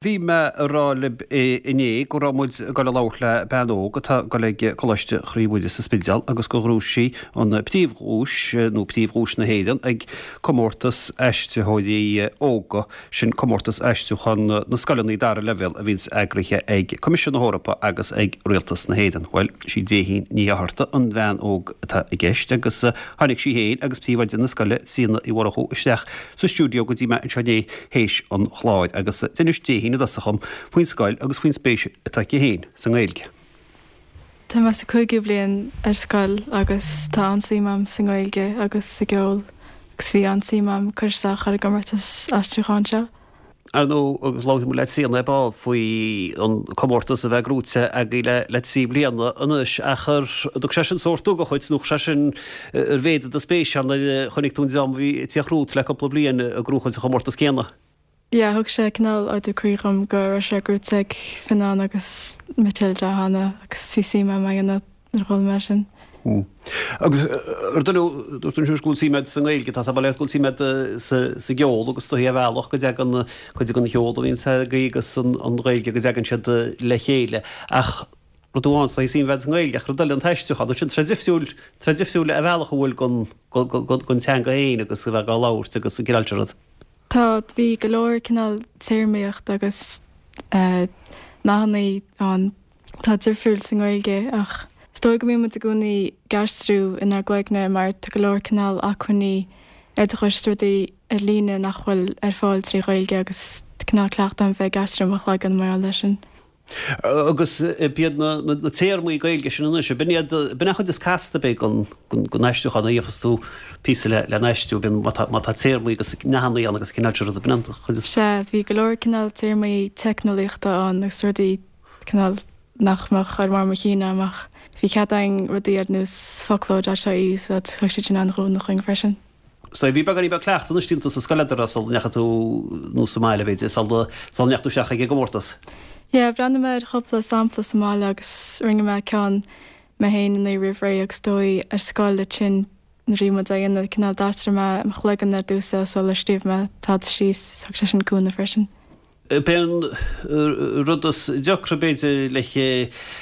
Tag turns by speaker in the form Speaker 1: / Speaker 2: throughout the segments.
Speaker 1: Bhí mé a rá libh inné go raibh muid ag dul a labhairt le bean óg atá ag dul ag Coláiste Chroí Mhuire sa Spidéal agus gur ghnóthaigh sí an príomhdhuais, nó príomhdhuais na hÉireann, ag comórtas aistritheoirí óga, sin comórtas aistriúcháin na scoileanna dara leibhéal a bhíonns eagraithe ag Coimisiún na hEorpa agus ag Rialtas na hÉireann. Bhuel, sí Déithín Ní Fhátharta an bhean óg atá i gceist agus tháinig sí féin agus príomhoide na scoile, Tríona Uí Mhurchú, isteach sa stiúideo go dtí mé anseo inné théis an chláir agus d'inis Déithín i dtosach dhom faoin scoil agus faoin spéis atá aici féin sa nGaeilge.
Speaker 2: Tá mé sa cúigiú bliain ar scoil agus tá an-suim a'm sa nGaeilge agus sa gceol agus bhí an-suim a'm cur isteach ar an gcomórtas aistriúcháin seo.
Speaker 1: Ar ndóigh, agus labharfaidh muid le Tríona ar ball faoi an comórtas a bheith gnóite agaibh le 3 bliana anois, ach ar dtug sé sin sórt ugach dhuit, nó chuir sé sin, ar mhéadaigh do spéis ann nuair a chonaic tú an dream a bhí ag tíocht romhat le cúpla bliain ag gnóchaint an chomórtas céanna?
Speaker 2: Yeah, thug sé cineál ardú croí dhom go raibh sé gnóite ag Fionnán agus Matilda cheana agus bhí suim a'm é a dhéanamh. Nuair a chuala mé sin.
Speaker 1: Agus ar ndóigh, dúirt tú ansin go bhfuil suim agat sa nGaeilge, tá sé ba léir go bhfuil suim agat sa gceol agus is dóichí ar bhealach go dtagann cuid den cheol a bhíonns agaibh agus an Ghaeilge go dtagann siad le chéile. Ach rud amháin, is dóichí suim a bheith agat sa nGaeilge ach rud eile an t-aistriúchán, sin, tá sé difriúil, tá sé difriúil ar bhealach a bhfuil den teanga féin agus a bheith á labhairt agus an cineál sin rud.
Speaker 2: Tá, bhí go leor cineál téarmaíocht agus nathannaí ann. atá difriúil sa nGaeilge ach is dóigh go mbíonn muid i gcónaí ag aistriú inár gcloigne mar tá go leor cineál acmhainní oideachais is rudaí ar líne nach bhfuil ar fáil trí Ghaeilge agus cineál cleachtadh agam bheith ag aistriú i mo chloigeann mar gheall air sin.
Speaker 1: Agus b'iad na téarmaí Gaeilge sin anois, b'in iad, b'in an chuid is casta b'fhéidir den aistriúchán a gheofas tú píosa le n-aistriú, bíonn, má tá, má tá téarmaí agus nathannaí ann agus cineál sin ruda, b'in an chuid is.
Speaker 2: Sea, bhí go leor cineál téarmaí teicneolaíochta ann agus rudaí cineál nach mbeadh ar bharr mo chinn agam ach bhí cead againn rudaí ar nós foclóir a úsáid, thug siad sin an-chúnamh dhúinn freisin.
Speaker 1: So bhí beagáinín beag cleachtaidh anois déanta sa scoil agat sula ndeachaigh tú, nó sa mbaile b'fhéidir, sula ndeachaigh tú isteach ag an gcomórtas?
Speaker 2: Yeah, bhreathnaigh mé ar chúpla sampla sa mbaile agus rinne mé ceann mé féin an oíche roimh ré agus dóigh ar scoil ansin nuair a bhí muid á dhéanamh cineál d'aistrigh mé i mo chloigeann ar dtús é sular scríobh mé tada síos, thug sé sin cúnamh freisin.
Speaker 1: B'é an rud is deacra b'fhéidir le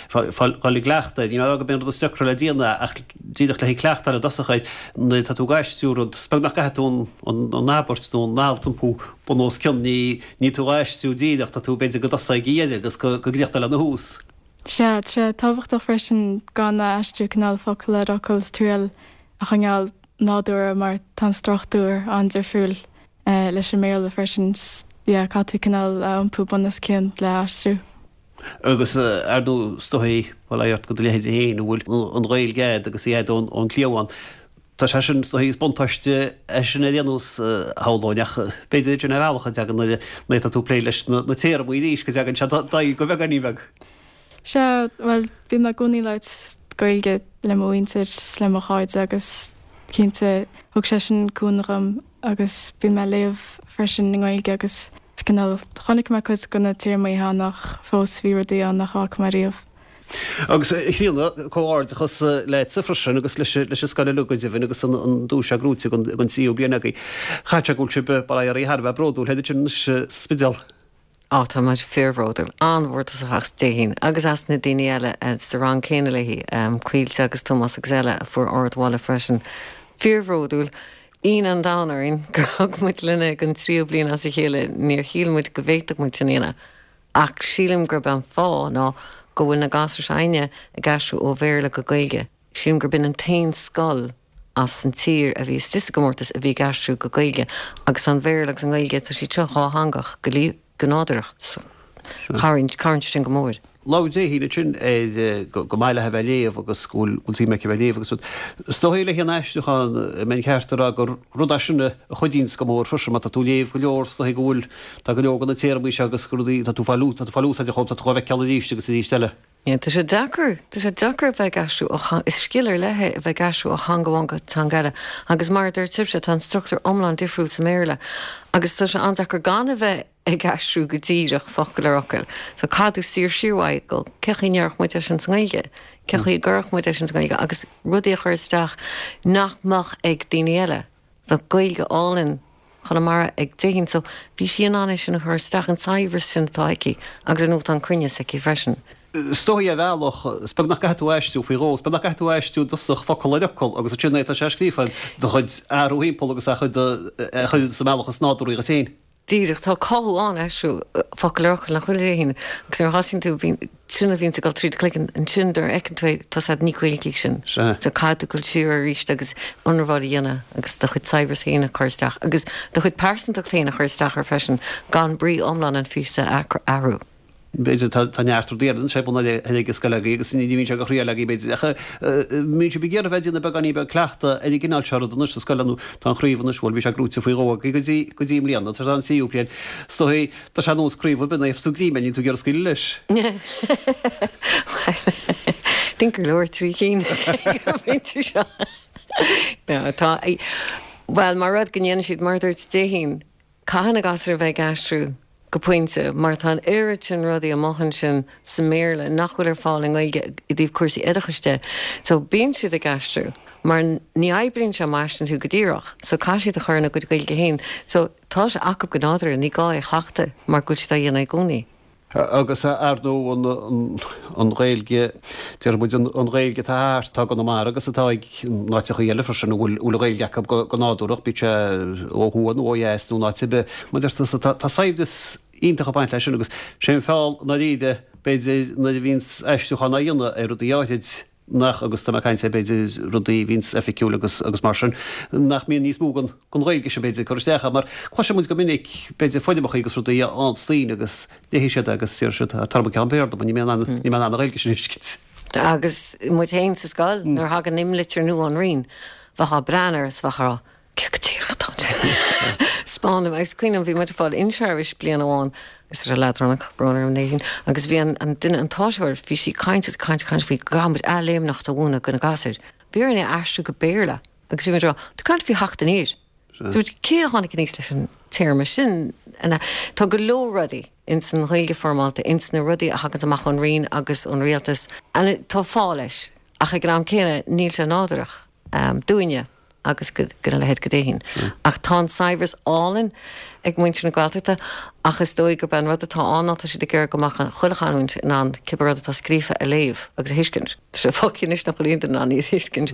Speaker 1: fáil i gcleachtadh, níl mé ag rá gurb é an rud is deacra le déanamh ach díreach le cleachtadh i dtosach air, nuair atá tú ag aistriú rud, is beag nach gcaithfidh tú an abairt nó an alt a iompú bun os cionn, ní níl tú ag aistriú díreach, tá tú b'fhéidir go dtosóidh ag a dheireadh agus go gcríochnóidh lena thús.
Speaker 2: Sea, tá sé tábhachtach freisin gan a aistriú cineál focal ar fhocal is triail a choinneáil nádúrtha mar tá an struchtúr an-difriúil. leis an mBéarla freisin. Yeah, caithfidh tú cineál a iompú bun os cionn le aistriú.
Speaker 1: Agus ar ndóigh, is dóichí, bhuel, ort do do leithéide féin, a bhfuil an Ghaeilge agat agus í agat ón chliabhán, tá sé sin, is dóichí, is buntáiste é sin ar aon nós, shamhlóinn, ach b'fhéidir sin ar bhealach a dtagann nuair atá tú ag plé leis na téarmaí arís, go dtagann sé d'aghaidh go beagáinín beag.
Speaker 2: Sea, bhuel, bím i gcónaí ag labhairt Gaeilge le mo mhuintir, le mo chairde agus cinnte thug sé sin cúnamh dhom agus bíonn mé ag léamh freisin i nGaeilge agus cineál chonaic mé cuid de na téarmaí cheana ach fós bhí rudaí ann nach bhfaca mé riamh.
Speaker 1: Agus a Chríona, comhghairdeachas leatsa freisin agus leis an scoil uilig go deimhin agus an duais seo gnóite don tríú bliain agaibh. Chaithfeadh sé go bhfuil sibh, bail ó Dhia oraibh, thar a bheith bródúil, thar cionn anois sa Spidéal.
Speaker 3: Á, tá muid fíorbhródúil, an-mhórtasach as Déithín agus as na daoine eile sa rang céanna léi, Caoilte agus Tomás agus eile a fuair ardmholadh freisin. Fíorbhródúil. Ionadh an domhain orainn gur thug muid linn é don tríú bliain as a chéile, níor shíl muid go bhféadfadh muid sin a dhéanamh. Ach sílim gurb é an fáth ná go bhfuil na gasúir s'againne ag aistriú ó Bhéarla go Gaeilge. Sílim gurb in an t-aon scoil as an tír a bhí istigh sa gcomórtas a bhí ag aistriú go Gaeilge agus an Bhéarla agus an Ghaeilge, tá siad seo dhátheangach go go nádúrach so cabhraíonn cabhraíonn sé sin go mór.
Speaker 1: Labhair Déithín ansin ar go maith léi a bheith ag léamh agus go bhfuil suim aici a bheith ag léamh agus rud. Is dóigh le haghaidh an aistriúcháin, an mbeinn ceart a rá gur rud é sin a chuidíonns go mór freisin má tá tú ag léamh go leor is dóigh go bhfuil tá go leor de na téarmaí seo agus rudaí tá tú ag fáil tá tú ag fáil úsáide dhóibh tá tú dhá bhfeiceáil arís agus arís eile.
Speaker 3: Yeah, tá sé deacair, tá sé deacair a bheith ag aistriú ó theanga, is scil ar leith é a bheith ag aistriú ó theanga amháin go teanga eile agus mar a deir sibhse, tá an struchtúr iomlán difriúil sa mBéarla agus tá sé an-deacair gan a bheith ag aistriú go díreach focal ar fhocal. So caithfidh tú saor siar uaidh go, cé chaoi a ndéarfadh muid é sin sa nGaeilge? Cé chaoi a gcuirfeadh muid é sin sa nGaeilge? Agus rudaí a chur isteach nach mbeadh ag daoine eile. Tá Gaeilge álainn. Chonamara ag Déithín so bhí sí in ann é sin a chur isteach, an saibhreas sin atá aici agus ar ndóigh tá an cruinneas aici freisin.
Speaker 1: Is dóigh ar bhealach, is beag nach gcaithfidh tú aistriú faoi dhó, is beag nach gcaithfidh tú aistriú i dtosach focal ar fhocal agus ansin é tá sé scríofa do chuid athrú thimpeall agus a chur a chur sa mbealach is nádúrthaí dhuit féin.
Speaker 3: Díreach, tá cothú ann aistriú focal ar fhocal nach bhfuil a Dhéithín agus nuair a thosaíonn tú bíonn sin a bhíonns ag dul trí do chloigeann ansin nuair a fheiceann tú é tá 's a'd ní Gaeilge í sin.
Speaker 1: Sea.
Speaker 3: So caithfidh tú dul siar arís agus ionramháil a dhéanamh agus do chuid saibhreas féin a chur isteach agus do chuid pearsantacht féin a chur isteach air freisin gan brí iomlán an phíosa a athrú.
Speaker 1: B'fhéidir tá neart rudaí eile anseo bun ar ag an scoil agaibh agus ní bhíonn sé go thriail agaibh b'fhéidir ach mbíonn sibh ag iarraidh bheith ag déanamh beagáinín beag cleachtadh ar an gcineál seo rud anois sa scoil nó tá an chraobh anois bhuel bhí sé gnóite faoi dhó agaibh go dtí go dtí i mbliana tá an tríú bliain is dóigh tá sé ar nós craobh ar bith nuair a gheofas tú greim air níl tú ag iarraidh scaoileadh leis.
Speaker 3: Bhuel think gur leor trí cinn ag an bpointe seo. No tá bhuel mar rud go ndéanann siad mar a dúirt Déithín Caithfidh na gasúir a bheith ag aistriú go pointe mar tá an oiread sin rudaí amuigh ansin sa mBéarla nach bhfuil ar fáil i nGaeilge i dtaobh cúrsaí oideachais de. So bíonn siad ag aistriú mar ní oibríonn sé má aistríonn tú go díreach. So caithfidh siad a chur ina gcuid Gaeilge féin. So tá sé acu go nádúrtha, ní gá é a chleachtadh mar go bhfuil siad á dhéanamh i gcónaí.
Speaker 1: Agus ar ndóigh an Ghaeilge, déarfaidh muid an Ghaeilge atá thart, atá i gConamara agus atá ag in áiteachaí eile freisin a bhfuil an Ghaeilge acu go nádúrach, bíodh sé ó thuaidh nó ó dheas nó in áit ar bith. Mar a deir tusa, tá saibhreas iontach ag baint leis sin agus sé an feall i ndáiríre, b'fhéidir, nuair a bhíonns aistriúchán á dhéanamh ar rudaí áithrid, nach, agus tá mé ag caint ar b'fhéidir rudaí a bhíonns oifigiúil agus agus mar sin, nach mbíonn níos mó den den Ghaeilge sin b'fhéidir ag cur isteach air, mar cloiseann muid go minic b'fhéidir foirmeachaí agus rudaí a fhaigheanns daoine agus léifidh siad é agus déarfaidh siad tabhair dom ceann Béarla mar níl mé in ann níl mé in ann an Ghaeilge sin a thuiscint.
Speaker 3: Agus muid féin sa scoil, nuair a thagann imlitir nua ón Roinn, bheifeá ag breathnú air is bheifeá ag rá, Cé go díreach atá ansin? 'Spáin dom. Agus cuimhním, bhí muid ag fáil in-service bliain amháin agus tá sé leadránach, brón orm Nadine, agus bhí an, an duine, an t-áisitheoir, bhí sí ag caint agus ag caint, caint faoi go gcaithfidh muid athléimneacht a mhúineadh do na gasúir. Bhí orainn é a aistriú go Béarla agus bhí muid ag rá, tá caint faoi theacht aniar. Dúirt, cé a tháinig aníos leis an téarma sin? Tá go leor rudaí ins an Ghaeilge foirmeálta, ins na rudaí a thaganns amach ón Roinn agus ón Rialtas, and tá fáth leis, ach ag an am céanna níl sé nádúrach dúinne. agus go na leithéid go Déithín. Ach tá an saibhreas álainn ag muintir na Gaeltachta ach is dóigh gurb é an rud atá ann ná tá siad ag iarraidh go mbeadh chuile chanúint in ann cibé rud atá scríofa a léamh agus a thuiscint. Tá sé fágtha anois nach bhfuil aon duine in ann iad a thuiscint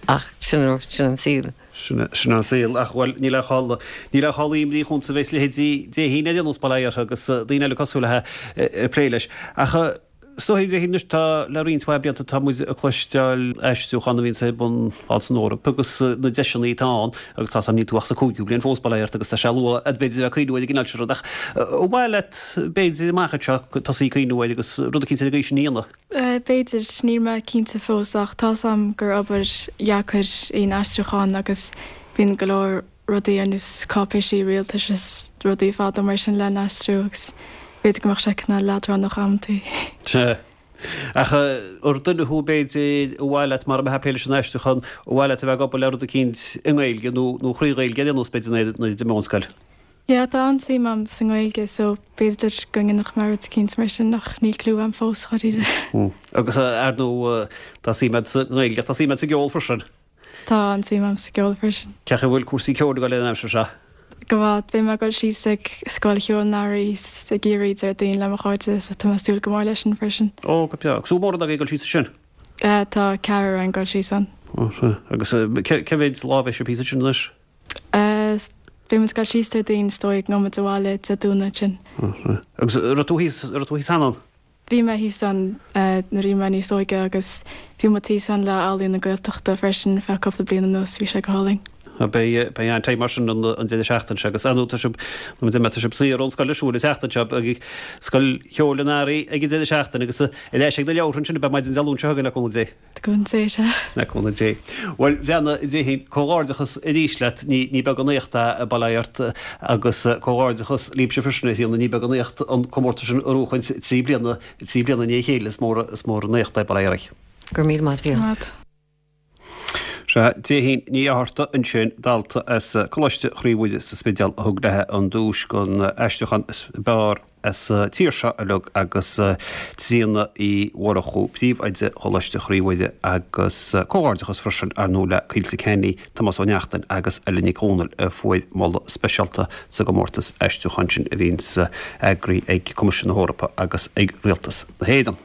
Speaker 3: ach sin sin an saol.
Speaker 1: Sin sin an saol ach bhuel níl aon chall níl aon chall imní chugamsa a bheas leithéidí Déithín ar aon nós bail ó Dhia uirthi agus daoine eile cosúil léi ag plé leis. Ach Is dóigh a Dhéithín anois tá le roinnt mhaith blianta tá muid ag cloisteáil aistriúchán a bhíonns ar bun thall san Eoraip agus na deiseanna atá ann agus tá's a'm níl tú ach sa cúigiú bliain fós bail ó Dhia ort agus tá sé luath b'fhéidir a bheith ag cuimhniú ar an gcineál sin rud ach ar mhaith leat b'fhéidir amach anseo tosaí ag cuimhniú air agus rud eicínt ar an gcaoi sin a dhéanamh?
Speaker 2: B'fhéidir, níl mé cinnte fós ach tá's a'm gur obair dheacair í an aistriúchán agus bíonn go leor rudaí ar nós cáipéisí rialtais is rudaí fada mar sin le n-aistriú agus b'fhéidir go mbeadh sé cineál leadránach amantaí.
Speaker 1: Sea. Ach ar duine thú b'fhéidir ar mhaith leat mara mbeifeá ag plé leis an aistriúchán, ar mhaith leat a bheith ag obair le rud eicínt i nGaeilge nó nó thrí Ghaeilge ar aon nós b'fhéidir nuair a d'imeofá ón scoil?
Speaker 2: Yeah, tá an-suim a'm sa nGaeilge so b'fhéidir go ndéanfadh mé rud eicínt mar sin ach níl clue a'm fós, dháiríre.
Speaker 1: Agus ar ndóigh tá suim a'd sa nGaeilge ach tá suim a'd sa gceol freisin.
Speaker 2: Tá an-suim a'm sa gceol freisin.
Speaker 1: Cén chaoi a bhfuil cúrsaí ceoil ag dul an aimsir seo?
Speaker 2: Go maith. Beidh mé ag dul síos ag Scoil Cheoil an Earraigh i gCiarraí Déardaoin le mo chairde so tá mé ag súil go mór leis sin freisin.
Speaker 1: Ó, go breá. Agus an bhfuil mórán agaibh ag dul síos ansin?
Speaker 2: Tá ceathrar againn ag dul síos ann.
Speaker 1: Ó, sea. Agus cé mhéid lá a bheidh sibh thíos ansin anois?
Speaker 2: Beidh muid ag dul síos Déardaoin is dóigh gabhfaidh muid abhaile Dé Domhnaigh ansin.
Speaker 1: Ó, sea. Agus an raibh tú thíos, an raibh tú thíos cheana ann?
Speaker 2: Bhí mé thíos ann nuair a bhí mé níos óige agus bhí muid thíos ann le Ealaíon na Gaeltachta freisin ar feadh cúpla bliain anuas, bhí sé go hálainn.
Speaker 1: Beidh beidh an-time mar sin an an deireadh seachtaine seo agus ar ndóigh tá sibh nó tá sibh saor ón scoil ar siúl an tseachtain seo ag Scoil Cheoil an Earraigh ag an deireadh seachtaine agus ar ais ag na leabhartha ansin a bheidh maidin Dé Luain seo chugainn le cúnamh Dé.
Speaker 2: Cúnamh Dé, sea.
Speaker 1: Le cúnamh Dé. Bhuel, a bhean Déithín, comhghairdeachas arís leat, ní, ní beag an éacht é, bail ó Dhia ort, agus comhghairdeachas libhse freisin, a Thríona, ní beag an éacht an comórtas sin a bhuachaint 3 bliana, 3 bliana i ndiaidh a chéile, is mór, is mór an éacht é, bail ó Dhia oraibh.
Speaker 3: Go raibh míle maith agat.
Speaker 2: Maith.
Speaker 1: Sea, Déithín Ní Fhátharta ansin, dalta as Coláiste Chroí Mhuire sa Spidéal a thug léi an duais don aistriúchán is fearr sa tír seo uilig agus Tríona Uí Mhurchú, Príomhoide Choláiste Chroí Mhuire agus comhghairdeachas freisin ar ndóigh le Caoilte Kenny, Tomás Ó Neachtain agus Ella Nic Dhomhnaill a fuair moladh speisialta sa gcomórtas aistriúcháin sin a bhíonns eagraithe ag Coimisiún na hEorpa agus ag Rialtas na hÉireann.